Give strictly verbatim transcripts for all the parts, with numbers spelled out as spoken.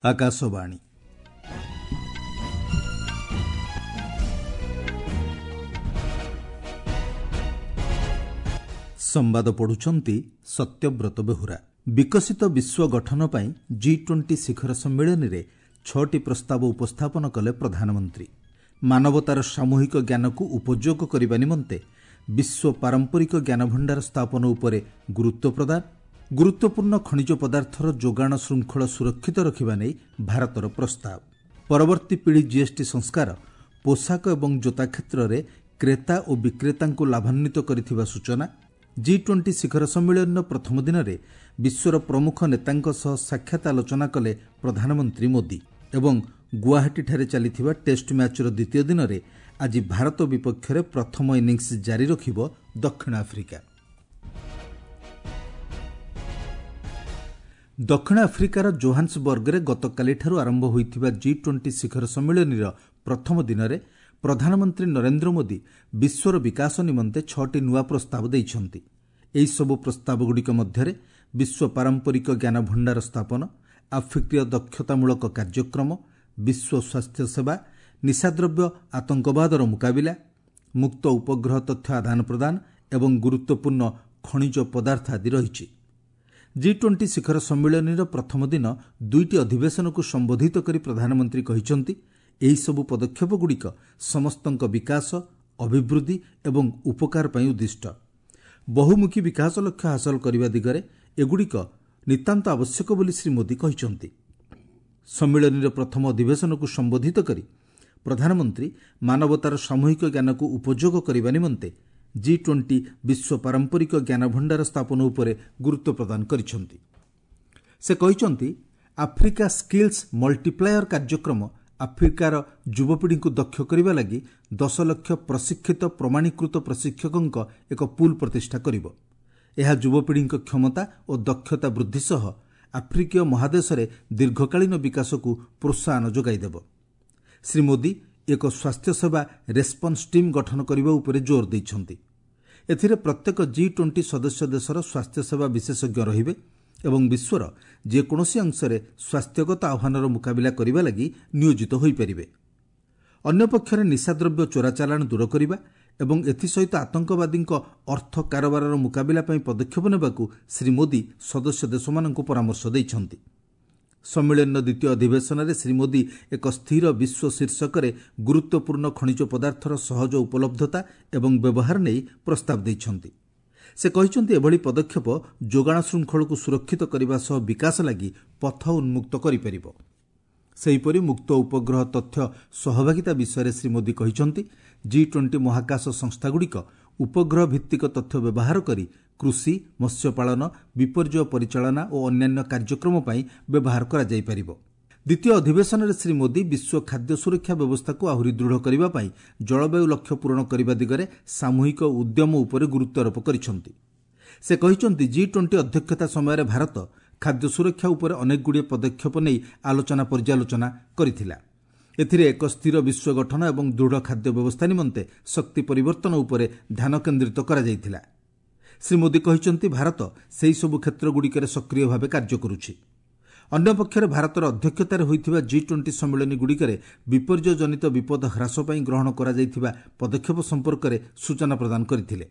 ଆକାଶବାଣୀ। ସମ୍ବାଦ ପଢୁଛନ୍ତି ସତ୍ୟବ୍ରତ ବେହୁରା। ବିକଶିତ ବିଶ୍ୱ ଗଠନ ପାଇଁ ଜି ଟ୍ୱେଣ୍ଟି ଶିଖର ସମ୍ମିଳନୀରେ ଛଅଟି ପ୍ରସ୍ତାବ ଉପସ୍ଥାପନ କଲେ ପ୍ରଧାନମନ୍ତ୍ରୀ। ମାନବତାର ସାମୂହିକ ଜ୍ଞାନକୁ ଉପଯୋଗ କରିବା ନିମନ୍ତେ ବିଶ୍ୱ ପାରମ୍ପରିକ ଜ୍ଞାନଭଣ୍ଡାର ସ୍ଥାପନ ଉପରେ ଗୁରୁତ୍ୱ ପ୍ରଦାନ, ଗୁରୁତ୍ୱପୂର୍ଣ୍ଣ ଖଣିଜ ପଦାର୍ଥର ଯୋଗାଣ ଶୃଙ୍ଖଳ ସୁରକ୍ଷିତ ରଖିବା ନେଇ ଭାରତର ପ୍ରସ୍ତାବ। ପରବର୍ତ୍ତୀ ପିଢ଼ି ଜିଏସ୍ଟି ସଂସ୍କାର ପୋଷାକ ଏବଂ ଜୋତା କ୍ଷେତ୍ରରେ କ୍ରେତା ଓ ବିକ୍ରେତାଙ୍କୁ ଲାଭାନ୍ୱିତ କରିଥିବା ସୂଚନା। ଜି ଟ୍ୱେଣ୍ଟି ଶିଖର ସମ୍ମିଳନୀର ପ୍ରଥମ ଦିନରେ ବିଶ୍ୱର ପ୍ରମୁଖ ନେତାଙ୍କ ସହ ସାକ୍ଷାତ ଆଲୋଚନା କଲେ ପ୍ରଧାନମନ୍ତ୍ରୀ ମୋଦି। ଏବଂ ଗୁଆହାଟୀଠାରେ ଚାଲିଥିବା ଟେଷ୍ଟ ମ୍ୟାଚ୍ର ଦ୍ୱିତୀୟ ଦିନରେ ଆଜି ଭାରତ ବିପକ୍ଷରେ ପ୍ରଥମ ଇନିଂସ ଜାରି ରଖିବ ଦକ୍ଷିଣ ଆଫ୍ରିକା। ଦକ୍ଷିଣ ଆଫ୍ରିକାର ଜୋହାନ୍ସବର୍ଗରେ ଗତକାଲିଠାରୁ ଆରମ୍ଭ ହୋଇଥିବା ଜି ଟ୍ୱେଣ୍ଟି ଶିଖର ସମ୍ମିଳନୀର ପ୍ରଥମ ଦିନରେ ପ୍ରଧାନମନ୍ତ୍ରୀ ନରେନ୍ଦ୍ର ମୋଦି ବିଶ୍ୱର ବିକାଶ ନିମନ୍ତେ ଛଅଟି ନୂଆ ପ୍ରସ୍ତାବ ଦେଇଛନ୍ତି। ଏହିସବୁ ପ୍ରସ୍ତାବଗୁଡ଼ିକ ମଧ୍ୟରେ ବିଶ୍ୱ ପାରମ୍ପରିକ ଜ୍ଞାନଭଣ୍ଡାର ସ୍ଥାପନ, ଆଫ୍ରିକୀୟ ଦକ୍ଷତାମୂଳକ କାର୍ଯ୍ୟକ୍ରମ, ବିଶ୍ୱ ସ୍ୱାସ୍ଥ୍ୟ ସେବା, ନିଶାଦ୍ରବ୍ୟ ଆତଙ୍କବାଦର ମୁକାବିଲା, ମୁକ୍ତ ଉପଗ୍ରହ ତଥ୍ୟ ଆଦାନ ପ୍ରଦାନ ଏବଂ ଗୁରୁତ୍ୱପୂର୍ଣ୍ଣ ଖଣିଜ ପଦାର୍ଥ ଆଦି ରହିଛି। ଜି ଟ୍ୱେଣ୍ଟି ଶିଖର ସମ୍ମିଳନୀର ପ୍ରଥମ ଦିନ ଦୁଇଟି ଅଧିବେଶନକୁ ସମ୍ବୋଧିତ କରି ପ୍ରଧାନମନ୍ତ୍ରୀ କହିଛନ୍ତି, ଏହିସବୁ ପଦକ୍ଷେପଗୁଡ଼ିକ ସମସ୍ତଙ୍କ ବିକାଶ, ଅଭିବୃଦ୍ଧି ଏବଂ ଉପକାର ପାଇଁ ଉଦ୍ଦିଷ୍ଟ। ବହୁମୁଖୀ ବିକାଶ ଲକ୍ଷ୍ୟ ହାସଲ କରିବା ଦିଗରେ ଏଗୁଡ଼ିକ ନିତାନ୍ତ ଆବଶ୍ୟକ ବୋଲି ଶ୍ରୀ ମୋଦି କହିଛନ୍ତି। ସମ୍ମିଳନୀର ପ୍ରଥମ ଅଧିବେଶନକୁ ସମ୍ବୋଧିତ କରି ପ୍ରଧାନମନ୍ତ୍ରୀ ମାନବତାର ସାମୂହିକ ଜ୍ଞାନକୁ ଉପଯୋଗ କରିବା ନିମନ୍ତେ ଜି ଟ୍ୱେଣ୍ଟି ବିଶ୍ୱ ପାରମ୍ପରିକ ଜ୍ଞାନଭଣ୍ଡାର ସ୍ଥାପନ ଉପରେ ଗୁରୁତ୍ୱ ପ୍ରଦାନ କରିଛନ୍ତି। ସେ କହିଛନ୍ତି, ଆଫ୍ରିକା ସ୍କିଲ୍ସ ମଲ୍ଟିପ୍ଲାୟର କାର୍ଯ୍ୟକ୍ରମ ଆଫ୍ରିକାର ଯୁବପିଢ଼ିଙ୍କୁ ଦକ୍ଷ କରିବା ଲାଗି ଦଶ ଲକ୍ଷ ପ୍ରଶିକ୍ଷିତ ପ୍ରମାଣୀକୃତ ପ୍ରଶିକ୍ଷକଙ୍କ ଏକ ପୁଲ୍ ପ୍ରତିଷ୍ଠା କରିବ। ଏହା ଯୁବପିଢ଼ିଙ୍କ କ୍ଷମତା ଓ ଦକ୍ଷତା ବୃଦ୍ଧି ସହ ଆଫ୍ରିକୀୟ ମହାଦେଶରେ ଦୀର୍ଘକାଳୀନ ବିକାଶକୁ ପ୍ରୋତ୍ସାହନ ଯୋଗାଇଦେବ। ଶ୍ରୀ ମୋଦି ଏକ ସ୍ୱାସ୍ଥ୍ୟସେବା ରେସ୍ପନ୍ସ ଟିମ୍ ଗଠନ କରିବା ଉପରେ ଜୋର ଦେଇଛନ୍ତି। ଏଥିରେ ପ୍ରତ୍ୟେକ ଜି ଟ୍ୱେଣ୍ଟି ସଦସ୍ୟ ଦେଶର ସ୍ୱାସ୍ଥ୍ୟସେବା ବିଶେଷଜ୍ଞ ରହିବେ ଏବଂ ବିଶ୍ୱର ଯେକୌଣସି ଅଂଶରେ ସ୍ୱାସ୍ଥ୍ୟଗତ ଆହ୍ୱାନର ମୁକାବିଲା କରିବା ଲାଗି ନିୟୋଜିତ ହୋଇପାରିବେ। ଅନ୍ୟପକ୍ଷରେ ନିଶାଦ୍ରବ୍ୟ ଚୋରାଚାଲାଣ ଦୂର କରିବା ଏବଂ ଏଥିସହିତ ଆତଙ୍କବାଦୀଙ୍କ ଅର୍ଥ କାରବାରର ମୁକାବିଲା ପାଇଁ ପଦକ୍ଷେପ ନେବାକୁ ଶ୍ରୀ ମୋଦି ସଦସ୍ୟ ଦେଶମାନଙ୍କୁ ପରାମର୍ଶ ଦେଇଛନ୍ତି। ସମ୍ମିଳନୀର ଦ୍ୱିତୀୟ ଅଧିବେଶନରେ ଶ୍ରୀ ମୋଦି ଏକ ସ୍ଥିର ବିଶ୍ୱ ଶୀର୍ଷକରେ ଗୁରୁତ୍ୱପୂର୍ଣ୍ଣ ଖଣିଜ ପଦାର୍ଥର ସହଜ ଉପଲବ୍ଧତା ଏବଂ ବ୍ୟବହାର ନେଇ ପ୍ରସ୍ତାବ ଦେଇଛନ୍ତି। ସେ କହିଛନ୍ତି, ଏଭଳି ପଦକ୍ଷେପ ଯୋଗାଣ ଶୃଙ୍ଖଳକୁ ସୁରକ୍ଷିତ କରିବା ସହ ବିକାଶ ଲାଗି ପଥ ଉନ୍ମୁକ୍ତ କରିପାରିବ। ସେହିପରି ମୁକ୍ତ ଉପଗ୍ରହ ତଥ୍ୟ ସହଭାଗିତା ବିଷୟରେ ଶ୍ରୀ ମୋଦି କହିଛନ୍ତି, ଜି ଟ୍ୱେଣ୍ଟି ମହାକାଶ ସଂସ୍ଥାଗୁଡ଼ିକ ଉପଗ୍ରହ ଭିତ୍ତିକ ତଥ୍ୟ ବ୍ୟବହାର କରି କୃଷି, ମତ୍ସ୍ୟପାଳନ, ବିପର୍ଯ୍ୟୟ ପରିଚାଳନା ଓ ଅନ୍ୟାନ୍ୟ କାର୍ଯ୍ୟକ୍ରମ ପାଇଁ ବ୍ୟବହାର କରାଯାଇପାରିବ। ଦ୍ୱିତୀୟ ଅଧିବେଶନରେ ଶ୍ରୀ ମୋଦି ବିଶ୍ୱ ଖାଦ୍ୟ ସୁରକ୍ଷା ବ୍ୟବସ୍ଥାକୁ ଆହୁରି ଦୃଢ଼ କରିବା ପାଇଁ ଜଳବାୟୁ ଲକ୍ଷ୍ୟ ପୂରଣ କରିବା ଦିଗରେ ସାମୂହିକ ଉଦ୍ୟମ ଉପରେ ଗୁରୁତ୍ୱାରୋପ କରିଛନ୍ତି। ସେ କହିଛନ୍ତି, ଜି ଟ୍ୱେଣ୍ଟି ଅଧ୍ୟକ୍ଷତା ସମୟରେ ଭାରତ ଖାଦ୍ୟ ସୁରକ୍ଷା ଉପରେ ଅନେକଗୁଡ଼ିଏ ପଦକ୍ଷେପ ନେଇ ଆଲୋଚନା ପର୍ଯ୍ୟାଲୋଚନା କରିଥିଲା। ଏଥିରେ ଏକ ସ୍ଥିର ବିଶ୍ୱ ଗଠନ ଏବଂ ଦୃଢ଼ ଖାଦ୍ୟ ବ୍ୟବସ୍ଥା ନିମନ୍ତେ ଶକ୍ତି ପରିବର୍ତ୍ତନ ଉପରେ ଧ୍ୟାନ କେନ୍ଦ୍ରିତ କରାଯାଇଥିଲା। ଶ୍ରୀ ମୋଦି କହିଛନ୍ତି, ଭାରତ ସେହିସବୁ କ୍ଷେତ୍ରଗୁଡ଼ିକରେ ସକ୍ରିୟ ଭାବେ କାର୍ଯ୍ୟ କରୁଛି। ଅନ୍ୟପକ୍ଷରେ ଭାରତର ଅଧ୍ୟକ୍ଷତାରେ ହୋଇଥିବା ଜି ଟ୍ୱେଣ୍ଟି ସମ୍ମିଳନୀଗୁଡ଼ିକରେ ବିପର୍ଯ୍ୟୟଜନିତ ବିପଦ ହ୍ରାସ ପାଇଁ ଗ୍ରହଣ କରାଯାଇଥିବା ପଦକ୍ଷେପ ସମ୍ପର୍କରେ ସୂଚନା ପ୍ରଦାନ କରିଥିଲେ।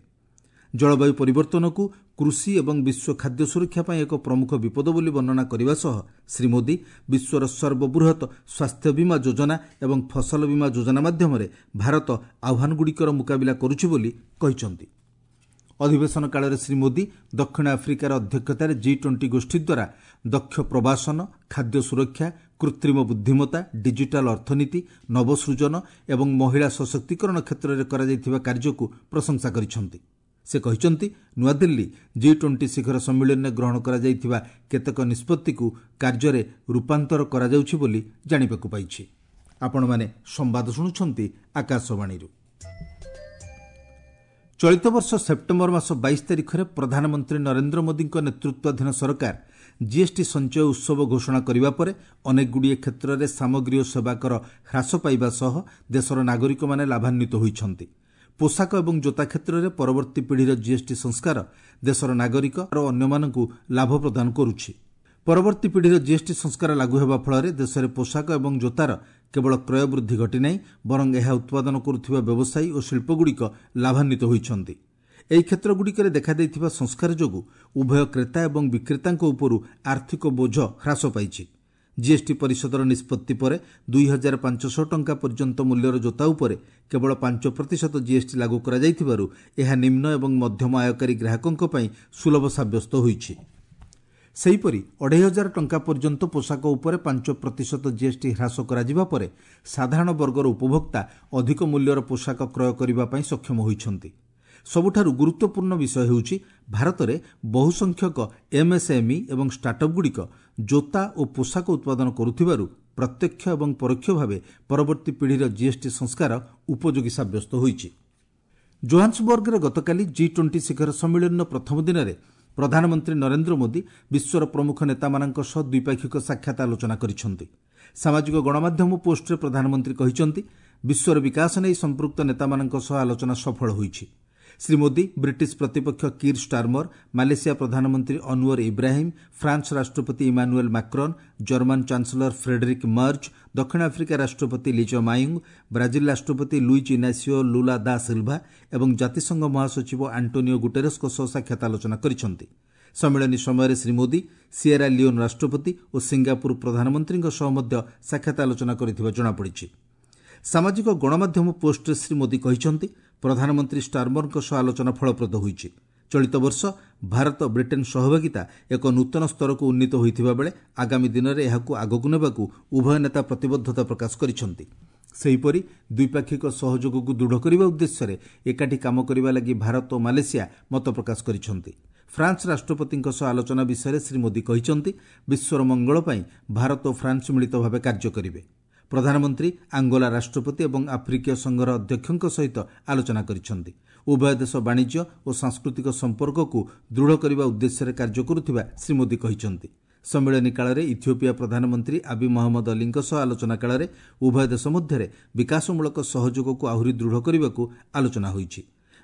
ଜଳବାୟୁ ପରିବର୍ତ୍ତନକୁ କୃଷି ଏବଂ ବିଶ୍ୱ ଖାଦ୍ୟ ସୁରକ୍ଷା ପାଇଁ ଏକ ପ୍ରମୁଖ ବିପଦ ବୋଲି ବର୍ଣ୍ଣନା କରିବା ସହ ଶ୍ରୀ ମୋଦି ବିଶ୍ୱର ସର୍ବବୃହତ୍ ସ୍ୱାସ୍ଥ୍ୟ ବୀମା ଯୋଜନା ଏବଂ ଫସଲ ବୀମା ଯୋଜନା ମାଧ୍ୟମରେ ଭାରତ ଆହ୍ୱାନଗୁଡ଼ିକର ମୁକାବିଲା କରୁଛି ବୋଲି କହିଛନ୍ତି। ଅଧିବେଶନ କାଳରେ ଶ୍ରୀ ମୋଦି ଦକ୍ଷିଣ ଆଫ୍ରିକାର ଅଧ୍ୟକ୍ଷତାରେ ଜି ଟ୍ୱେଣ୍ଟି ଗୋଷ୍ଠୀ ଦ୍ୱାରା ଦକ୍ଷ ପ୍ରବାସନ, ଖାଦ୍ୟ ସୁରକ୍ଷା, କୃତ୍ରିମ ବୁଦ୍ଧିମତ୍ତା, ଡିଜିଟାଲ ଅର୍ଥନୀତି, ନବସୃଜନ ଏବଂ ମହିଳା ସଶକ୍ତିକରଣ କ୍ଷେତ୍ରରେ କରାଯାଇଥିବା କାର୍ଯ୍ୟକୁ ପ୍ରଶଂସା କରିଛନ୍ତି। ସେ କହିଛନ୍ତି, ନୂଆଦିଲ୍ଲୀ ଜି ଟ୍ୱେଣ୍ଟି ଶିଖର ସମ୍ମିଳନୀରେ ଗ୍ରହଣ କରାଯାଇଥିବା କେତେକ ନିଷ୍ପତ୍ତିକୁ କାର୍ଯ୍ୟରେ ରୂପାନ୍ତର କରାଯାଉଛି ବୋଲି ଜାଣିବାକୁ ପାଇଛି। ଆପଣମାନେ ସମ୍ବାଦ ଶୁଣୁଛନ୍ତି ଆକାଶବାଣୀରୁ। ଚଳିତ ବର୍ଷ ସେପ୍ଟେମ୍ବର ମାସ ବାଇଶ ତାରିଖରେ ପ୍ରଧାନମନ୍ତ୍ରୀ ନରେନ୍ଦ୍ର ମୋଦିଙ୍କ ନେତୃତ୍ୱାଧୀନ ସରକାର ଜିଏସ୍ଟି ସଞ୍ଚୟ ଉତ୍ସବ ଘୋଷଣା କରିବା ପରେ ଅନେକଗୁଡ଼ିଏ କ୍ଷେତ୍ରରେ ସାମଗ୍ରୀ ଓ ସେବା କର ହ୍ରାସ ପାଇବା ସହ ଦେଶର ନାଗରିକମାନେ ଲାଭାନ୍ୱିତ ହୋଇଛନ୍ତି। ପୋଷାକ ଏବଂ ଜୋତା କ୍ଷେତ୍ରରେ ପରବର୍ତ୍ତୀ ପିଢ଼ିର ଜିଏସ୍ଟି ସଂସ୍କାର ଦେଶର ନାଗରିକ ଓ ଅନ୍ୟମାନଙ୍କୁ ଲାଭ ପ୍ରଦାନ କରୁଛି। ପରବର୍ତ୍ତୀ ପିଢ଼ିର ଜିଏସ୍ଟି ସଂସ୍କାର ଲାଗୁ ହେବା ଫଳରେ ଦେଶରେ ପୋଷାକ ଏବଂ ଜୋତାର କେବଳ କ୍ରୟ ବୃଦ୍ଧି ଘଟିନାହିଁ, ବରଂ ଏହା ଉତ୍ପାଦନ କରୁଥିବା ବ୍ୟବସାୟୀ ଓ ଶିଳ୍ପଗୁଡ଼ିକ ଲାଭାନ୍ୱିତ ହୋଇଛନ୍ତି। ଏହି କ୍ଷେତ୍ରଗୁଡ଼ିକରେ ଦେଖାଦେଇଥିବା ସଂସ୍କାର ଯୋଗୁଁ ଉଭୟ କ୍ରେତା ଏବଂ ବିକ୍ରେତାଙ୍କ ଉପରୁ ଆର୍ଥିକ ବୋଝ ହ୍ରାସ ପାଇଛି। ଜିଏସ୍ଟି ପରିଷଦର ନିଷ୍ପତ୍ତି ପରେ ଦୁଇ ହଜାର ପାଞ୍ଚଶହ ଟଙ୍କା ପର୍ଯ୍ୟନ୍ତ ମୂଲ୍ୟର ଜୋତା ଉପରେ କେବଳ ପାଞ୍ଚ ପ୍ରତିଶତ ଜିଏସ୍ଟି ଲାଗୁ କରାଯାଇଥିବାରୁ ଏହା ନିମ୍ନ ଏବଂ ମଧ୍ୟମ ଆୟକାରୀ ଗ୍ରାହକଙ୍କ ପାଇଁ ସୁଲଭ ସାବ୍ୟସ୍ତ ହୋଇଛି। ସେହିପରି ଅଢ଼େଇ ହଜାର ଟଙ୍କା ପର୍ଯ୍ୟନ୍ତ ପୋଷାକ ଉପରେ ପାଞ୍ଚ ପ୍ରତିଶତ ଜିଏସ୍ଟି ହ୍ରାସ କରାଯିବା ପରେ ସାଧାରଣ ବର୍ଗର ଉପଭୋକ୍ତା ଅଧିକ ମୂଲ୍ୟର ପୋଷାକ କ୍ରୟ କରିବା ପାଇଁ ସକ୍ଷମ ହୋଇଛନ୍ତି। ସବୁଠାରୁ ଗୁରୁତ୍ୱପୂର୍ଣ୍ଣ ବିଷୟ ହେଉଛି, ଭାରତରେ ବହୁସଂଖ୍ୟକ ଏମ୍ଏସ୍ଏମ୍ଇ ଏବଂ ଷ୍ଟାର୍ଟଅପ୍ଗୁଡ଼ିକ ଜୋତା ଓ ପୋଷାକ ଉତ୍ପାଦନ କରୁଥିବାରୁ ପ୍ରତ୍ୟକ୍ଷ ଏବଂ ପରୋକ୍ଷ ଭାବେ ପରବର୍ତ୍ତୀ ପିଢ଼ିର ଜିଏସ୍ଟି ସଂସ୍କାର ଉପଯୋଗୀ ସାବ୍ୟସ୍ତ ହୋଇଛି। ଜୋହାନ୍ସବର୍ଗରେ ଗତକାଲି ଜି ଟ୍ୱେଣ୍ଟି ଶିଖର ସମ୍ମିଳନୀର ପ୍ରଥମ ଦିନରେ ପ୍ରଧାନମନ୍ତ୍ରୀ ନରେନ୍ଦ୍ର ମୋଦି ବିଶ୍ୱର ପ୍ରମୁଖ ନେତାମାନଙ୍କ ସହ ଦ୍ୱିପାକ୍ଷିକ ସାକ୍ଷାତ ଆଲୋଚନା କରିଛନ୍ତି। ସାମାଜିକ ଗଣମାଧ୍ୟମ ପୋଷ୍ଟରେ ପ୍ରଧାନମନ୍ତ୍ରୀ କହିଛନ୍ତି, ବିଶ୍ୱର ବିକାଶ ନେଇ ସମ୍ପୃକ୍ତ ନେତାମାନଙ୍କ ସହ ଆଲୋଚନା ସଫଳ ହୋଇଛି। ଶ୍ରୀ ମୋଦି ବ୍ରିଟିଶ ପ୍ରତିପକ୍ଷ କିର୍ ଷ୍ଟାରମର, ମାଲେସିଆ ପ୍ରଧାନମନ୍ତ୍ରୀ ଅନୱର ଇବ୍ରାହିମ୍, ଫ୍ରାନ୍ସ ରାଷ୍ଟ୍ରପତି Emmanuel Macron, German chancellor Friedrich Merz, ଦକ୍ଷିଣ ଆଫ୍ରିକା ରାଷ୍ଟ୍ରପତି ଲିଜ ମାୟୁଙ୍ଗ, ବ୍ରାଜିଲ ରାଷ୍ଟ୍ରପତି ଲୁଇଜ୍ ଇନାସିଓ ଲୁଲା ଦା ସିଲ୍ଭା ଏବଂ ଜାତିସଂଘ ମହାସଚିବ ଆଣ୍ଟୋନିଓ ଗୁଟେରସ୍ଙ୍କ ସହ ସାକ୍ଷାତ ଆଲୋଚନା କରିଛନ୍ତି। ସମ୍ମିଳନୀ ସମୟରେ ଶ୍ରୀ ମୋଦି ସିଏରା ଲିଓନ୍ ରାଷ୍ଟ୍ରପତି ଓ ସିଙ୍ଗାପୁର ପ୍ରଧାନମନ୍ତ୍ରୀଙ୍କ ସହ ମଧ୍ୟ ସାକ୍ଷାତ ଆଲୋଚନା କରିଥିବା ଜଣାପଡ଼ିଛି। ସାମାଜିକ ଗଣମାଧ୍ୟମ ପୋଷ୍ଟରେ ଶ୍ରୀ ମୋଦି କହିଛନ୍ତି, ପ୍ରଧାନମନ୍ତ୍ରୀ ଷ୍ଟାରମରଙ୍କ ସହ ଆଲୋଚନା ଫଳପ୍ରଦ ହୋଇଛି। ଚଳିତ ବର୍ଷ ଭାରତ ବ୍ରିଟେନ୍ ସହଭାଗିତା ଏକ ନୂତନ ସ୍ତରକୁ ଉନ୍ନୀତ ହୋଇଥିବା ବେଳେ ଆଗାମୀ ଦିନରେ ଏହାକୁ ଆଗକୁ ନେବାକୁ ଉଭୟ ନେତା ପ୍ରତିବଦ୍ଧତା ପ୍ରକାଶ କରିଛନ୍ତି। ସେହିପରି ଦ୍ୱିପାକ୍ଷିକ ସହଯୋଗକୁ ଦୃଢ଼ କରିବା ଉଦ୍ଦେଶ୍ୟରେ ଏକାଠି କାମ କରିବା ଲାଗି ଭାରତ ଓ ମାଲେସିଆ ମତ ପ୍ରକାଶ କରିଛନ୍ତି। ଫ୍ରାନ୍ସ ରାଷ୍ଟ୍ରପତିଙ୍କ ସହ ଆଲୋଚନା ବିଷୟରେ ଶ୍ରୀ ମୋଦି କହିଛନ୍ତି, ବିଶ୍ୱର ମଙ୍ଗଳ ପାଇଁ ଭାରତ ଓ ଫ୍ରାନ୍ସ ମିଳିତ ଭାବେ କାର୍ଯ୍ୟ କରିବେ। ପ୍ରଧାନମନ୍ତ୍ରୀ ଆଙ୍ଗୋଲା ରାଷ୍ଟ୍ରପତି ଏବଂ ଆଫ୍ରିକୀୟ ସଂଘର ଅଧ୍ୟକ୍ଷଙ୍କ ସହିତ ଆଲୋଚନା କରିଛନ୍ତି। ଉଭୟ ଦେଶ ବାଣିଜ୍ୟ ଓ ସାଂସ୍କୃତିକ ସମ୍ପର୍କକୁ ଦୃଢ଼ କରିବା ଉଦ୍ଦେଶ୍ୟରେ କାର୍ଯ୍ୟ କରୁଥିବା ଶ୍ରୀ ମୋଦି କହିଛନ୍ତି। ସମ୍ମିଳନୀ କାଳରେ ଇଥିଓପିଆ ପ୍ରଧାନମନ୍ତ୍ରୀ ଆବି ମହମ୍ମଦ ଅଲିଙ୍କ ସହ ଆଲୋଚନା କାଳରେ ଉଭୟ ଦେଶ ମଧ୍ୟରେ ବିକାଶମୂଳକ ସହଯୋଗକୁ ଆହୁରି ଦୃଢ଼ କରିବାକୁ ଆଲୋଚନା ହୋଇଛି।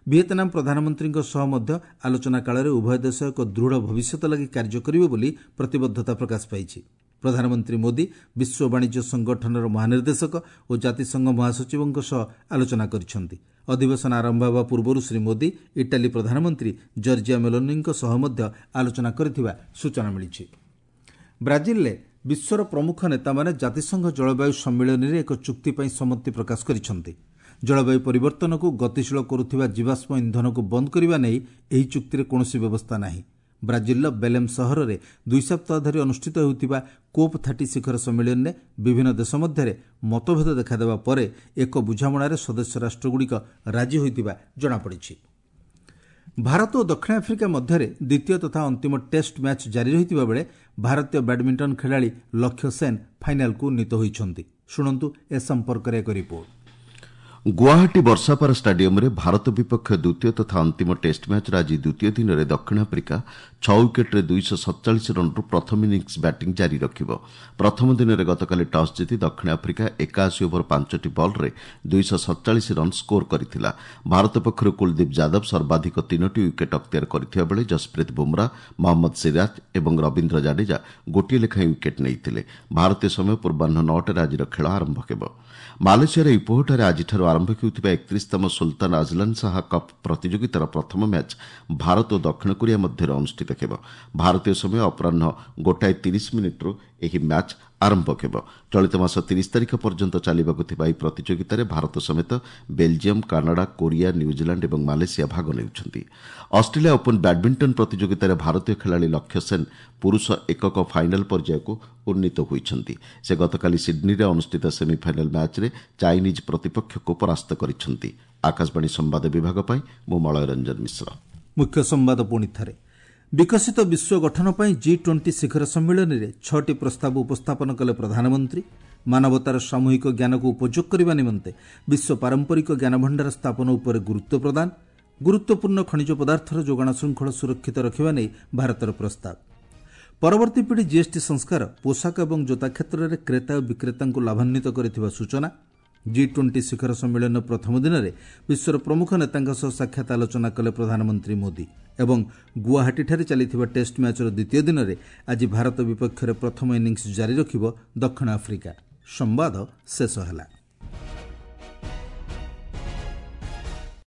ଭିଏତନାମ ପ୍ରଧାନମନ୍ତ୍ରୀଙ୍କ ସହ ମଧ୍ୟ ଆଲୋଚନା କାଳରେ ଉଭୟ ଦେଶ ଏକ ଦୃଢ଼ ଭବିଷ୍ୟତ ଲାଗି କାର୍ଯ୍ୟ କରିବେ ବୋଲି ପ୍ରତିବଦ୍ଧତା ପ୍ରକାଶ ପାଇଛି। ପ୍ରଧାନମନ୍ତ୍ରୀ ମୋଦି ବିଶ୍ୱ ବାଣିଜ୍ୟ ସଂଗଠନର ମହାନିର୍ଦ୍ଦେଶକ ଓ ଜାତିସଂଘ ମହାସଚିବଙ୍କ ସହ ଆଲୋଚନା କରିଛନ୍ତି। ଅଧିବେଶନ ଆରମ୍ଭ ହେବା ପୂର୍ବରୁ ଶ୍ରୀ ମୋଦି ଇଟାଲୀ ପ୍ରଧାନମନ୍ତ୍ରୀ ଜର୍ଜିଆ ମେଲୋନିଙ୍କ ସହ ମଧ୍ୟ ଆଲୋଚନା କରିଥିବା ସୂଚନା ମିଳିଛି। ବ୍ରାଜିଲରେ ବିଶ୍ୱର ପ୍ରମୁଖ ନେତାମାନେ ଜାତିସଂଘ ଜଳବାୟୁ ସମ୍ମିଳନୀରେ ଏକ ଚୁକ୍ତି ପାଇଁ ସମ୍ମତି ପ୍ରକାଶ କରିଛନ୍ତି। ଜଳବାୟୁ ପରିବର୍ତ୍ତନକୁ ଗତିଶୀଳ କରୁଥିବା ଜୀବାଶ୍ମ ଇନ୍ଧନକୁ ବନ୍ଦ କରିବା ନେଇ ଏହି ଚୁକ୍ତିରେ କୌଣସି ବ୍ୟବସ୍ଥା ନାହିଁ। ବ୍ରାଜିଲର ବେଲେମ୍ ସହରରେ ଦୁଇ ସପ୍ତାହ ଧରି ଅନୁଷ୍ଠିତ ହେଉଥିବା କୋପ୍ ଥାର୍ଟି ଶିଖର ସମ୍ମିଳନୀରେ ବିଭିନ୍ନ ଦେଶ ମଧ୍ୟରେ ମତଭେଦ ଦେଖାଦେବା ପରେ ଏକ ବୁଝାମଣାରେ ସଦସ୍ୟ ରାଷ୍ଟ୍ରଗୁଡ଼ିକ ରାଜି ହୋଇଥିବା ଜଣାପଡ଼ିଛି। ଭାରତ ଓ ଦକ୍ଷିଣ ଆଫ୍ରିକା ମଧ୍ୟରେ ଦ୍ୱିତୀୟ ତଥା ଅନ୍ତିମ ଟେଷ୍ଟ ମ୍ୟାଚ୍ ଜାରି ରହିଥିବା ବେଳେ ଭାରତୀୟ ବ୍ୟାଡମିଣ୍ଟନ ଖେଳାଳି ଲକ୍ଷ୍ୟ ସେନ୍ ଫାଇନାଲକୁ ଉନ୍ନୀତ ହୋଇଛନ୍ତି। ଶୁଣନ୍ତୁ ଏ ସମ୍ପର୍କରେ ଏକ ରିପୋର୍ଟ। ଗୁଆହାଟୀ ବର୍ଷାପାରା ଷ୍ଟାଡିୟମରେ ଭାରତ ବିପକ୍ଷ ଦ୍ୱିତୀୟ ତଥା ଅନ୍ତିମ ଟେଷ୍ଟ ମ୍ୟାଚ୍ର ଆଜି ଦ୍ୱିତୀୟ ଦିନରେ ଦକ୍ଷିଣ ଆଫ୍ରିକା ଛଅ ୱିକେଟ୍ରେ ଦୁଇଶହ ସତଚାଳିଶ ରନ୍ରୁ ପ୍ରଥମ ଇନିଂସ ବ୍ୟାଟିଂ ଜାରି ରଖିବ। ପ୍ରଥମ ଦିନରେ ଗତକାଲି ଟସ୍ ଜିତି ଦକ୍ଷିଣ ଆଫ୍ରିକା ଏକାଅଶୀ ଓଭର ପାଞ୍ଚଟି ବଲ୍ରେ ଦୁଇଶହ ସତଚାଳିଶ ରନ୍ ସ୍କୋର କରିଥିଲା। ଭାରତ ପକ୍ଷରୁ କୁଲଦୀପ ଯାଦବ ସର୍ବାଧିକ ତିନୋଟି ୱିକେଟ୍ ଅକ୍ତିଆର କରିଥିବା ବେଳେ ଜସପ୍ରୀତ ବୁମ୍ରା, ମହମ୍ମଦ ସିରାଜ ଏବଂ ରବୀନ୍ଦ୍ର ଜାଡେଜା ଗୋଟିଏ ଲେଖାଏଁ ୱିକେଟ୍ ନେଇଥିଲେ। ଭାରତୀୟ ସମୟ ପୂର୍ବାହ୍ନ ନଅଟାରେ ଆଜିର ଖେଳ ଆରମ୍ଭ ହେବ। ମାଲେସିଆର ଇପୋହଠାରେ ଆଜିଠାରୁ ଆରମ୍ଭ ହେଉଥିବା ଏକତିରିଶତମ ସୁଲତାନ ଆଜଲାନ ଶାହା କପ୍ ପ୍ରତିଯୋଗିତାର ପ୍ରଥମ ମ୍ୟାଚ୍ ଭାରତ ଓ ଦକ୍ଷିଣ କୋରିଆ ମଧ୍ୟରେ ଅନୁଷ୍ଠିତ ହେବ। ଭାରତୀୟ ସମୟ ଅପରାହ୍ନ ଗୋଟାଏ ତିରିଶ ମିନିଟ୍ରୁ ଏହି ମ୍ୟାଚ୍ ଆରମ୍ଭ ହେବ। ଚଳିତ ମାସ ତିରିଶ ତାରିଖ ପର୍ଯ୍ୟନ୍ତ ଚାଲିବାକୁ ଥିବା ଏହି ପ୍ରତିଯୋଗିତାରେ ଭାରତ ସମେତ ବେଲଜିୟମ୍, କାନାଡା, କୋରିଆ, ନ୍ୟୁଜିଲାଣ୍ଡ ଏବଂ ମାଲେସିଆ ଭାଗ ନେଉଛନ୍ତି। ଅଷ୍ଟ୍ରେଲିଆ ଓପନ୍ ବ୍ୟାଡମିଣ୍ଟନ ପ୍ରତିଯୋଗିତାରେ ଭାରତୀୟ ଖେଳାଳି ଲକ୍ଷ୍ୟ ସେନ୍ ପୁରୁଷ ଏକକ ଫାଇନାଲ୍ ପର୍ଯ୍ୟାୟକୁ ଉନ୍ନୀତ ହୋଇଛନ୍ତି। ସେ ଗତକାଲି ସିଡ୍ନୀରେ ଅନୁଷ୍ଠିତ ସେମିଫାଇନାଲ୍ ମ୍ୟାଚ୍ରେ ଚାଇନିଜ୍ ପ୍ରତିପକ୍ଷକୁ ପରାସ୍ତ କରିଛନ୍ତି। ଆକାଶବାଣୀ ସମ୍ବାଦ ବିଭାଗ ପାଇଁ ମୁଁ ମଳୟ ରଞ୍ଜନ ମିଶ୍ର। ମୁଖ୍ୟ ସମ୍ବାଦ ପୁଣି ଥରେ। ବିକଶିତ ବିଶ୍ୱ ଗଠନ ପାଇଁ ଜି ଟ୍ୱେଣ୍ଟି ଶିଖର ସମ୍ମିଳନୀରେ ଛଅଟି ପ୍ରସ୍ତାବ ଉପସ୍ଥାପନ କଲେ ପ୍ରଧାନମନ୍ତ୍ରୀ। ମାନବତାର ସାମୂହିକ ଜ୍ଞାନକୁ ଉପଯୋଗ କରିବା ନିମନ୍ତେ ବିଶ୍ୱ ପାରମ୍ପରିକ ଜ୍ଞାନଭଣ୍ଡାର ସ୍ଥାପନ ଉପରେ ଗୁରୁତ୍ୱ ପ୍ରଦାନ। ଗୁରୁତ୍ୱପୂର୍ଣ୍ଣ ଖଣିଜ ପଦାର୍ଥର ଯୋଗାଣ ଶୃଙ୍ଖଳ ସୁରକ୍ଷିତ ରଖିବା ନେଇ ଭାରତର ପ୍ରସ୍ତାବ। ପରବର୍ତ୍ତୀ ପିଢ଼ି ଜିଏସ୍ଟି ସଂସ୍କାର ପୋଷାକ ଏବଂ ଜୋତା କ୍ଷେତ୍ରରେ କ୍ରେତା ଓ ବିକ୍ରେତାଙ୍କୁ ଲାଭାନ୍ୱିତ କରିଥିବା ସୂଚନା। ଜି ଟ୍ୱେଣ୍ଟି ଶିଖର ସମ୍ମିଳନୀର ପ୍ରଥମ ଦିନରେ ବିଶ୍ୱର ପ୍ରମୁଖ ନେତାଙ୍କ ସହ ସାକ୍ଷାତ ଆଲୋଚନା କଲେ ପ୍ରଧାନମନ୍ତ୍ରୀ ମୋଦି ଏବଂ ଗୁଆହାଟୀଠାରେ ଚାଲିଥିବା ଟେଷ୍ଟ ମ୍ୟାଚ୍ର ଦ୍ୱିତୀୟ ଦିନରେ ଆଜି ଭାରତ ବିପକ୍ଷରେ ପ୍ରଥମ ଇନିଂସ ଜାରି ରଖିବ ଦକ୍ଷିଣ ଆଫ୍ରିକା। ସମ୍ବାଦ ଶେଷ ହେଲା।